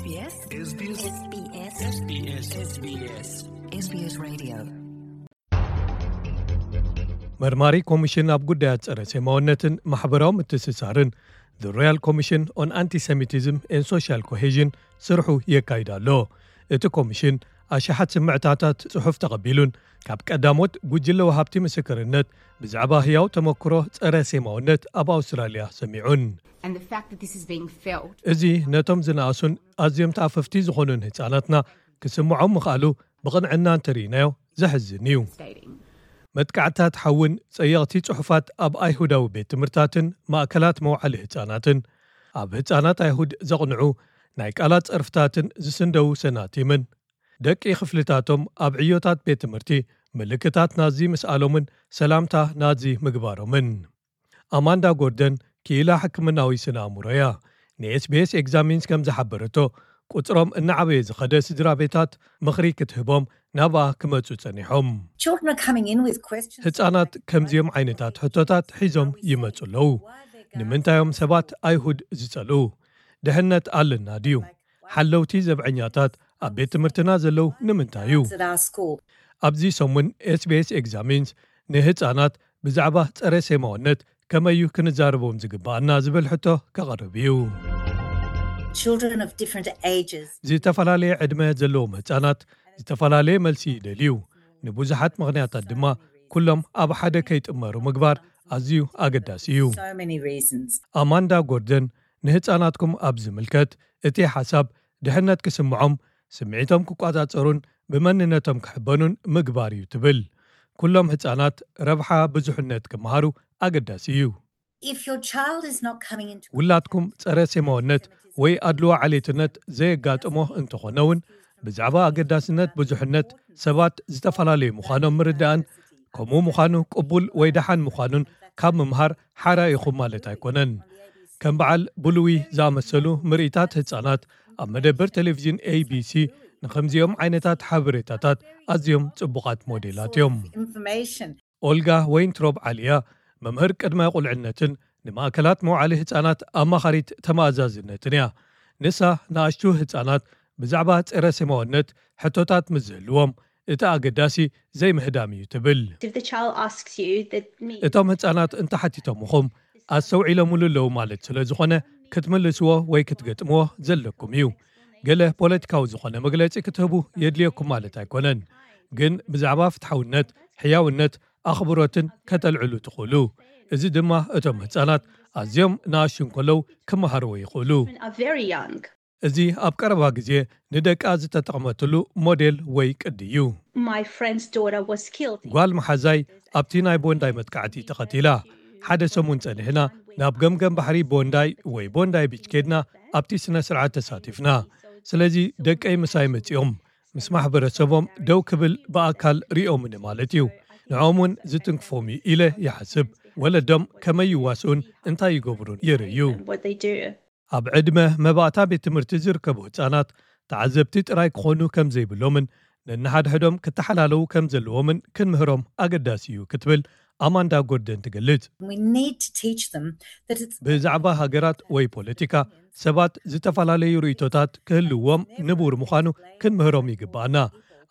SBS SBS SBS መርማሪ ኮሚሽን ኣብ ጉዳያት ጸረ ሴማውነትን ማሕበራዊ ምትስሳርን፣ The Royal Commission on Anti-Semitism and Social Cohesion፣ ስርሑ የካይድ ኣሎ። እቲ ኮሚሽን ኣሽሓት ስምዕታታት ጽሑፍ ተቐቢሉን ካብ ቀዳሞት ጉጅለ ወሃብቲ ምስክርነት ብዛዕባ ህያው ተመክሮ ጸረ ሴማውነት ኣብ ኣውስትራልያ ሰሚዑን። And the fact that this is being felt እዚ ነቶም ዝነኣሱን ኣዝዮም ተኣፈፍቲ ዝኾኑን ህጻናትና ክስምዖም ምኽኣሉ ብቕንዕና እንተርኢናዮ ዘሕዝን እዩ። stating መጥቃዕትታት ሓውን ጸየቕቲ ጽሑፋት ኣብ ኣይሁዳዊ ቤት ትምህርታትን ማእከላት መውዓሊ ህጻናትን፣ ኣብ ህጻናት ኣይሁድ ዘቕንዑ ናይ ቃላት ጸርፍታትን ዝስንደው ሰናቲምን፣ ደቂ ክፍልታቶም ኣብ ዕዮታት ቤት ትምህርቲ ምልክታት ናዚ ምስኣሎምን ሰላምታ ናዚ ምግባሮምን። ኣማንዳ ጎርደን ክኢላ ሕክምናዊ ስነ ኣእምሮ እያ። ንኤስቢኤስ ኤግዛሚንስ ከም ዝሓበረቶ፣ ቁጽሮም እናዓበየ ዝኸደ ስድራ ቤታት ምኽሪ ክትህቦም ናብኣ ክመጹ ጸኒሖም። Children are coming in with questions. ህጻናት ከምዚኦም ዓይነታት ሕቶታት ሒዞም ይመጹ ኣለዉ። ንምንታዮም ሰባት ኣይሁድ ዝጸልኡ? ድሕነት ኣለና ድዩ? ሓለውቲ ዘብዐኛታት ኣብ ቤት ትምህርትና ዘለዉ ንምንታይ እዩ? At our school. ኣብዚ ሰሙን ኤስቢኤስ ኤግዛሚንስ ንህጻናት ብዛዕባ ጸረ ሴማውነት ከመይ እዩ ክንዛረቦም ዝግባኣና ዝብል ሕቶ ከቕርብ እዩ። Children of different ages. ዝተፈላለየ ዕድመ ዘለዎም ህጻናት ዝተፈላለየ መልሲ ይደልዩ። ንብዙሓት ምኽንያታት ድማ ኩሎም ኣብ ሓደ ከይጥመሩ ምግባር ኣዝዩ ኣገዳሲ እዩ። So many reasons. ኣማንዳ ጎርደን ንህጻናትኩም ኣብ ዝምልከት እቲ ሓሳብ ድሕነት ክስምዖም፣ ስምዒቶም ክቋጻጸሩን ብመንነቶም ክሕበኑን ምግባር እዩ ትብል። ኩሎም ህጻናት ረብሓ ብዙሕነት ክመሃሩ ኣገዳሲ እዩ። If your child is not coming into ውላድኩም ጸረ ሴማውነት ወይ ኣድልዎ ዓሌትነት ዘየጋጥሞ እንተኾነ እውን፣ ብዛዕባ ኣገዳስነት ብዙሕነት ሰባት ዝተፈላለዩ ምዃኖም ምርዳእን ከምኡ ምዃኑ ቅቡል ወይ ደሓን ምዃኑን ካብ ምምሃር ሓራ ኢኹም ማለት ኣይኮነን። ከም በዓል ብሉዊ ዝኣመሰሉ ምርኢታት ህጻናት ኣብ መደበር ቴሌቪዥን ኤቢሲ ንኸምዚኦም ዓይነታት ሓበሬታታት ኣዝዮም ጽቡቓት ሞዴላት እዮም። Information. ኦልጋ ወይንትሮብ ዓሊያ መምህር ቅድመ ቁልዕነትን ንማእከላት መውዓሊ ህጻናት ኣማኻሪት ተመኣዛዝነትን እያ። ንሳ ንኣሽቱ ህጻናት ብዛዕባ ጸረ ሴማውነት ሕቶታት ምስ ዝህልዎም፣ እቲ ኣገዳሲ ዘይምህዳም እዩ ትብል። If the child asks you, that means እቶም ህጻናት እንተሓቲቶምኹም ኣስተውዒሎምሉ ኣለዉ ማለት ስለ ዝኾነ ክትምልስዎ ወይ ክትገጥምዎ ዘለኩም እዩ። ገለ ፖለቲካዊ ዝኾነ መግለጺ ክትህቡ የድልየኩም ማለት ኣይኮነን። ግን ብዛዕባ ፍትሓውነት፣ ሕያውነት፣ ኣኽብሮትን ከተልዕሉ ትኽእሉ። እዚ ድማ እቶም ህጻናት ኣዝዮም ንኣሽቱ እንከለዉ ክመሃርዎ ይኽእሉ። Are very young. እዚ ኣብ ቀረባ ግዜ ንደቃ ዝተጠቕመትሉ ሞዴል ወይ ቅዲ እዩ። My friend's daughter was killed. ጓል መሓዛይ ኣብቲ ናይ ቦንዳይ መጥቃዕቲ ተቐቲላ። ሓደ ሰሙን ጸኒሕና ናብ ገምገም ባሕሪ ቦንዳይ ወይ ቦንዳይ ቢች ኬድና ኣብቲ ስነ ስርዓት ተሳቲፍና። ስለዚ ደቀይ ምሳይ መጺኦም ምስ ማሕበረሰቦም ደው ክብል ብኣካል ሪኦምኒ ማለት እዩ። ንዕኦም እውን ዝትንክፎም እዩ ኢለ ይሓስብ። ወለዶም ከመይ ይዋስኡን እንታይ ይገብሩን ይርእዩ። What they do. ኣብ ዕድመ መባእታ ቤት ትምህርቲ ዝርከቡ ህጻናት ተዓዘብቲ ጥራይ ክኾኑ ከም ዘይብሎምን ነንሓድሕዶም ክተሓላለዉ ከም ዘለዎምን ክንምህሮም ኣገዳሲ እዩ ክትብል ኣማንዳ ጎርደን ትገልጽ። We need to teach them that it's ብዛዕባ ሃገራት ወይ ፖለቲካ ሰባት ዝተፈላለዩ ርእይቶታት ክህልዎም ንቡር ምዃኑ ክንምህሮም ይግባኣና።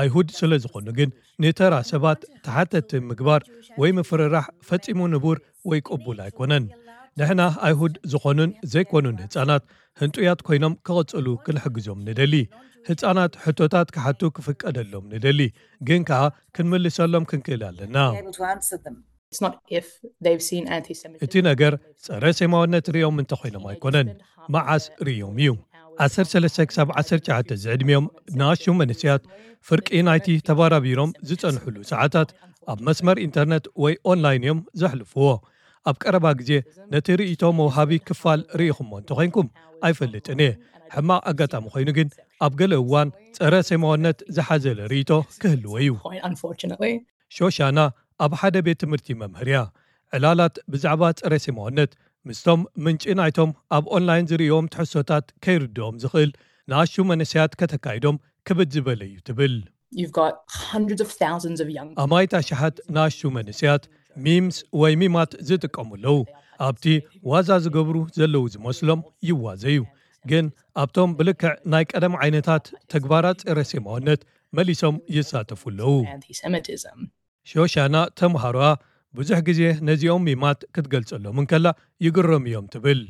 ኣይሁድ ስለ ዝኾኑ ግን ንተራ ሰባት ተሓተቲ ምግባር ወይ ምፍርራሕ ፈጺሙ ንቡር ወይ ቅቡል ኣይኮነን። ንሕና ኣይሁድ ዝኾኑን ዘይኮኑን ህጻናት ህንጡያት ኮይኖም ክቕጽሉ ክንሕግዞም ንደሊ። ህጻናት ሕቶታት ክሓቱ ክፍቀደሎም ንደሊ፣ ግን ከኣ ክንምልሰሎም ክንክእል ኣለና። Be able to answer them. It's not if they've seen anti-Semitism. እቲ ነገር ጸረ ሴማውነት ርእዮም እንተኾይኖም ኣይኮነን፣ መዓስ ርእዮም እዩ። ዓሰርተ ሰለስተ ክሳብ ዓሰርተ ትሽዓተ ዝዕድሚኦም ንኣሽቱ መንእሰያት ፍርቂ ናይቲ ተባራቢሮም ዝጸንሕሉ ሰዓታት ኣብ መስመር ኢንተርነት ወይ ኦንላይን እዮም ዘሕልፍዎ። ኣብ ቀረባ ግዜ ነቲ ርእይቶ መውሃቢ ክፋል ርኢኹሞ እንተኾይንኩም ኣይፈልጥን እየ። ሕማቕ ኣጋጣሚ ኮይኑ ግን ኣብ ገለ እዋን ጸረ ሴማውነት ዝሓዘለ ርእይቶ ክህልዎ እዩ። Point, unfortunately. ሾሻና ኣብ ሓደ ቤት ትምህርቲ መምህር እያ። ዕላላት ብዛዕባ ጸረ ሴማውነት ምስቶም ምንጪ ናይቶም ኣብ ኦንላይን ዝርእዮም ትሕዝቶታት ከይርድኦም ዝኽእል ንኣሽቱ መንእሰያት ከተካይዶም ክብድ ዝበለ እዩ ትብል። You've got hundreds of thousands of young ኣማይት ኣሽሓት ንኣሽቱ መንእሰያት ሚምስ ወይ ሚማት ዝጥቀሙ ኣለዉ። ኣብቲ ዋዛ ዝገብሩ ዘለዉ ዝመስሎም ይዋዘዩ። ግን ኣብቶም ብልክዕ ናይ ቀደም ዓይነታት ተግባራት ጸረ ሴማውነት መሊሶም ይሳተፉ ኣለዉ። ሾሻና ተምሃሮኣ ብዙሕ ግዜ ነዚኦም ሚማት ክትገልጸሎም እንከላ ይግረሙ እዮም ትብል።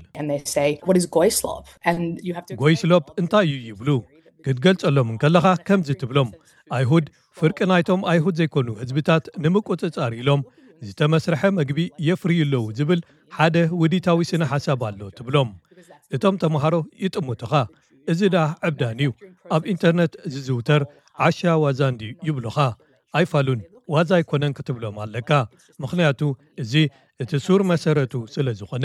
ጎይስሎፕ እንታይ እዩ ይብሉ ክትገልጸሎም እንከለኻ ከምዚ ትብሎም፣ ኣይሁድ ፍርቂ ናይቶም ኣይሁድ ዘይኮኑ ህዝብታት ንምቁጽጻር ኢሎም ዝተመስርሐ መግቢ የፍርዩ ኣለዉ ዝብል ሓደ ውዲታዊ ስነ ሓሳብ ኣሎ ትብሎም። እቶም ተምሃሮ ይጥምቱኻ፣ እዚ ደኣ ዕብዳን እዩ፣ ኣብ ኢንተርነት ዝዝውተር ዓሻ ዋዛ እንድዩ ይብሉኻ። ኣይፋሉን፣ ዋዛ ኣይኮነን ክትብሎም ኣለካ፣ ምኽንያቱ እዚ እቲ ሱር መሰረቱ ስለ ዝኾነ።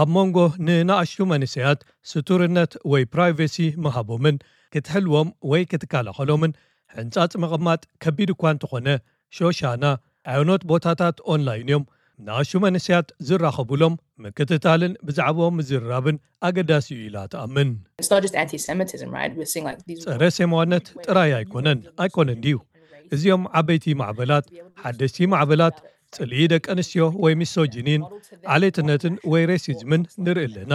ኣብ መንጎ ንንኣሽቱ መንእሰያት ስቱርነት ወይ ፕራይቬሲ ምሃቦምን ክትሕልዎም ወይ ክትከላኸሎምን ሕንጻጽ ምቕማጥ ከቢድ እኳ እንተኾነ፣ ሾሻና ኣየኖት ቦታታት ኦንላይን እዮም ንኣሽቱ መንእሰያት ዝራኸቡሎም ምክትታልን ብዛዕባኦም ምዝርራብን ኣገዳሲ እዩ ኢላ ትኣምን። ጸረ ሴማውነት ጥራይ ኣይኮነን ኣይኮነን ድዩ? እዚኦም ዓበይቲ ማዕበላት፣ ሓደስቲ ማዕበላት፣ ጽልኢ ደቂ ኣንስትዮ ወይ ሚሶጂኒን ዓሌትነትን ወይ ሬሲዝምን ንርኢ ኣለና።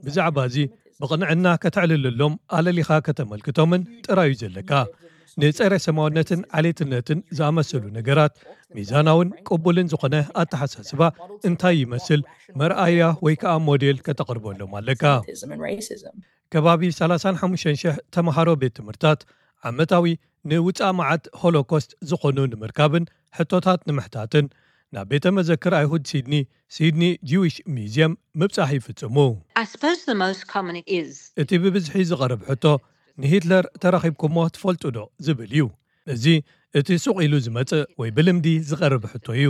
ብዛዕባ እዚ ብቕንዕና ከተዕልለሎም ኣለሊኻ ከተመልክቶምን ጥራዩ ዘለካ። ንጸረ ሰማውነትን ዓሌትነትን ዝኣመሰሉ ነገራት ሚዛናውን ቅቡልን ዝኾነ ኣተሓሳስባ እንታይ ይመስል መርኣያ ወይ ከኣ ሞዴል ከተቕርበሎም ኣለካ። ከባቢ ሰላሳን ሓሙሽተን ሽሕ ተምሃሮ ቤት ትምህርታት ዓመታዊ ንውጻእ መዓት ሆሎኮስት ዝኾኑ ንምርካብን ሕቶታት ንምሕታትን ናብ ቤተ መዘክር ኣይሁድ ሲድኒ፣ ሲድኒ ጂዊሽ ሚዝየም፣ ምብጻሕ ይፍጽሙ። I suppose the most common is እቲ ብብዝሒ ዝቐርብ ሕቶ ንሂትለር ተራኺብኩሞ ትፈልጡ ዶ ዝብል እዩ። እዚ እቲ ሱቕ ኢሉ ዝመጽእ ወይ ብልምዲ ዝቐርብ ሕቶ እዩ።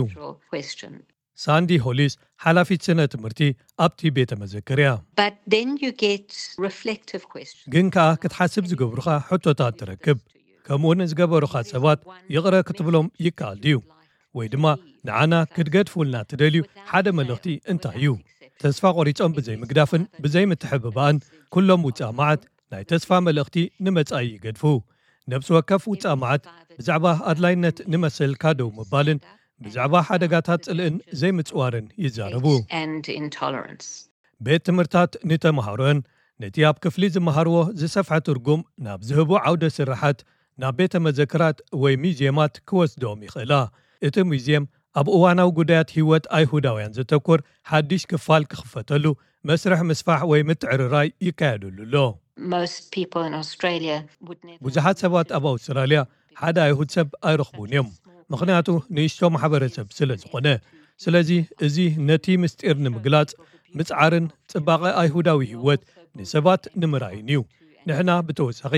Question. ሳንዲ ሆሊስ ሓላፊት ስነ ትምህርቲ ኣብቲ ቤተ መዘክር እያ። But then you get reflective questions. ግን ከኣ ክትሓስብ ዝገብሩኻ ሕቶታት ትረክብ። ከምኡ ንዝገበሩኻ ሰባት ይቕረ ክትብሎም ይከኣል ድዩ? ወይ ድማ ንዓና ክትገድፉልና ትደልዩ ሓደ መልእኽቲ እንታይ እዩ? ተስፋ ቆሪጾም ብዘይ ምግዳፍን ብዘይ ምትሕብባእን ኩሎም ውጻእ መዓት ናይ ተስፋ መልእኽቲ ንመጻኢ ይገድፉ። ነብሲ ወከፍ ውጻእ መዓት ብዛዕባ ኣድላይነት ንመሰል ካደው ምባልን ብዛዕባ ሓደጋታት ጽልእን ዘይምጽዋርን ይዛረቡ። And intolerance. ቤት ትምህርታት ንተምሃሮን ነቲ ኣብ ክፍሊ ዝመሃርዎ ዝሰፍሐ ትርጉም ናብ ዝህቡ ዓውደ ስራሓት ናብ ቤተ መዘክራት ወይ ሚዝየማት ክወስድኦም ይኽእላ። እቲ ሙዝየም ኣብ እዋናዊ ጉዳያት ህይወት ኣይሁዳውያን ዘተኩር ሓድሽ ክፋል ክኽፈተሉ መስርሕ ምስፋሕ ወይ ምትዕርራይ ይካየደሉ ኣሎ። Most people in Australia would never ብዙሓት ሰባት ኣብ ኣውስትራልያ ሓደ ኣይሁድ ሰብ ኣይረኽቡን እዮም፣ ምኽንያቱ ንእሽቶ ማሕበረሰብ ስለ ዝኾነ። ስለዚ እዚ ነቲ ምስጢር ንምግላጽ ምጽዓርን ጽባቐ ኣይሁዳዊ ህይወት ንሰባት ንምርኣይን እዩ። ንሕና ብተወሳኺ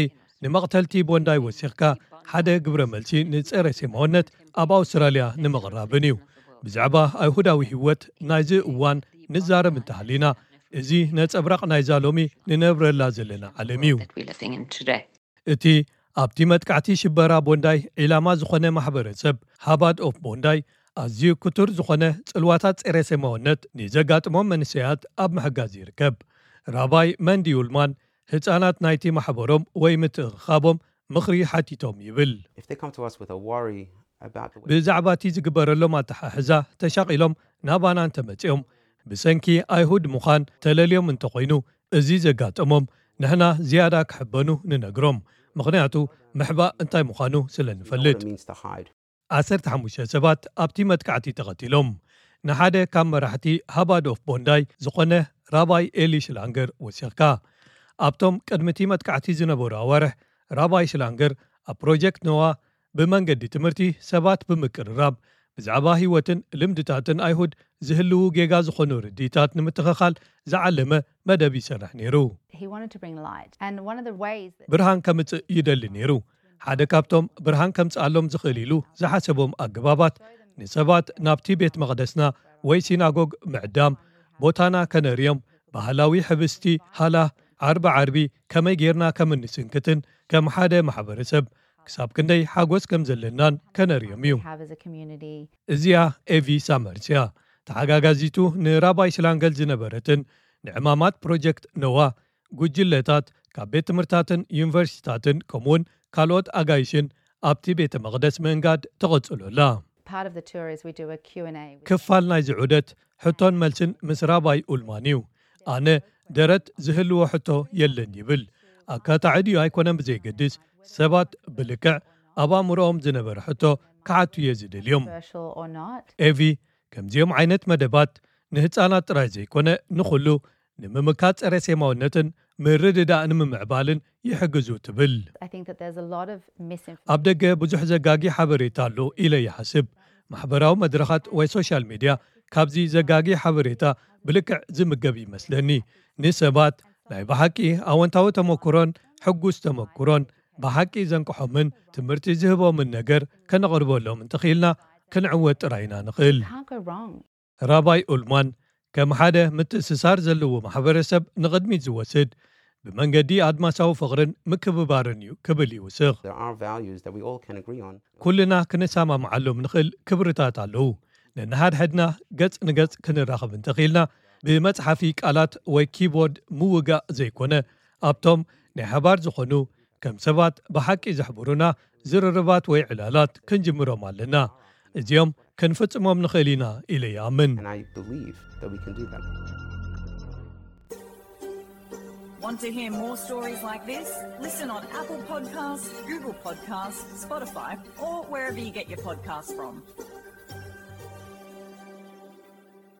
ንመቕተልቲ ቦንዳይ ወሲኽካ ሓደ ግብረ መልሲ ንጸረ ሴማውነት ኣብ ኣውስትራልያ ንምቕራብን እዩ። ብዛዕባ ኣይሁዳዊ ህይወት ናይዚ እዋን ንዛረብ እንተሃሊና፣ እዚ ነጸብራቕ ናይዛ ሎሚ ንነብረላ ዘለና ዓለም እዩ። That we're living in today. እቲ ኣብቲ መጥቃዕቲ ሽበራ ቦንዳይ ዒላማ ዝኾነ ማሕበረሰብ ሃባድ ኦፍ ቦንዳይ ኣዝዩ ክቱር ዝኾነ ጽልዋታት ጸረ ሴማውነት ንዘጋጥሞም መንእሰያት ኣብ ምሕጋዝ ይርከብ። ራባይ መንዲ ዩልማን ህጻናት ናይቲ ማሕበሮም ወይ ምትእኽኻቦም ምኽሪ ሓቲቶም ይብል። If they come to us with a worry about the way ብዛዕባ እቲ ዝግበረሎም ኣተሓሕዛ ተሻቒሎም ናባና እንተመጺኦም ብሰንኪ ኣይሁድ ምዃን ተለልዮም እንተኾይኑ እዚ ዘጋጠሞም ንሕና ዝያዳ ክሕበኑ ንነግሮም። ምኽንያቱ ምሕባእ እንታይ ምዃኑ ስለ ንፈልጥ። What it means to hide. ዓሰርተ ሓሙሽተ ሰባት ኣብቲ መጥቃዕቲ ተቐቲሎም። ንሓደ ካብ መራሕቲ ሃባድ ኦፍ ቦንዳይ ዝኾነ ራባይ ኤሊ ሽላንገር ወሲኽካ። ኣብቶም ቅድሚ እቲ መጥቃዕቲ ዝነበሩ ኣዋርሕ ራባይ ሽላንገር ኣብ ፕሮጀክት ኖዋ ብመንገዲ ትምህርቲ ሰባት ብምቅርራብ ብዛዕባ ህይወትን ልምድታትን ኣይሁድ ዝህልዉ ጌጋ ዝኾኑ ርድኢታት ንምትኽኻል ዝዓለመ መደብ ይሰርሕ ነይሩ። He wanted to bring light. And one of the ways that ብርሃን ከምጽእ ይደሊ ነይሩ። ሓደ ካብቶም ብርሃን ከምጽኣሎም ዝኽእል ኢሉ ዝሓሰቦም ኣገባባት ንሰባት ናብቲ ቤት መቕደስና ወይ ሲናጎግ ምዕዳም፣ ቦታና ከነርእዮም፣ ባህላዊ ሕብስቲ ሃላ ዓርቢ ዓርቢ ከመይ ጌርና ከም እንስንክትን ከም ሓደ ማሕበረሰብ ክሳብ ክንደይ ሓጎስ ከም ዘለናን ከነርእዮም እዩ። Have as a community. እዚኣ ኤቪ ሳመርስ እያ። ተሓጋጋዚቱ ንራባይ ሽላንገል ዝነበረትን ንዕማማት ፕሮጀክት ኖዋ ጉጅለታት ካብ ቤት ትምህርታትን ዩኒቨርሲቲታትን ከምኡውን ካልኦት ኣጋይሽን ኣብቲ ቤተ መቕደስ ምእንጋድ ተቐጽሎ ኣላ። Part of the tour is we do a Q and A with ክፋል ናይዚ ዑደት ሕቶን መልስን ምስ ራባይ ኡልማን እዩ። ኣነ ደረት ዝህልዎ ሕቶ የለን ይብል። ኣካታዒ ድዩ ኣይኮነን ብዘይገድስ፣ ሰባት ብልክዕ ኣብ ኣእምሮኦም ዝነበረ ሕቶ ክሓቱ እየ ዝደልዮም። ኤቪ፣ ከምዚኦም ዓይነት መደባት ንህፃናት ጥራይ ዘይኮነ ንኹሉ ንምምካት ጸረ ሴማውነትን ምርድዳእ ንምምዕባልን ይሕግዙ ትብል። ኣብ ደገ ብዙሕ ዘጋጊ ሓበሬታ ኣሎ ኢለ ይሓስብ። ማሕበራዊ መድረኻት ወይ ሶሻል ሚድያ ካብዚ ዘጋጊ ሓበሬታ ብልክዕ ዝምገብ ይመስለኒ። ንሰባት ናይ ብሓቂ ኣወንታዊ ተመክሮን ሕጉስ ተመክሮን ብሓቂ ዘንቅሖምን ትምህርቲ ዝህቦምን ነገር ከነቕርበሎም እንተኽኢልና ክንዕወት ጥራይ ኢና ንኽእል። ራባይ ኡልማን ከም ሓደ ምትእስሳር ዘለዎ ማሕበረሰብ ንቕድሚት ዝወስድ ብመንገዲ ኣድማሳዊ ፍቕርን ምክብባርን እዩ ክብል ይውስኽ። ኩልና ክንሰማምዓሎም ንኽእል ክብርታት ኣለዉ። ነንሓድሕድና ገጽ ንገጽ ክንራኸብ እንተኽኢልና ብመጽሓፊ ቃላት ወይ ኪቦርድ ምውጋእ ዘይኮነ ኣብቶም ናይ ሓባር ዝኾኑ ከም ሰባት ብሓቂ ዘሕብሩና ዝርርባት ወይ ዕላላት ክንጅምሮም ኣለና። እዚኦም ክንፍጽሞም ንኽእል ኢና ኢለ ይኣምን። Want to hear more stories like this? Listen on Apple Podcasts, Google Podcasts, Spotify, or wherever you get your podcasts from.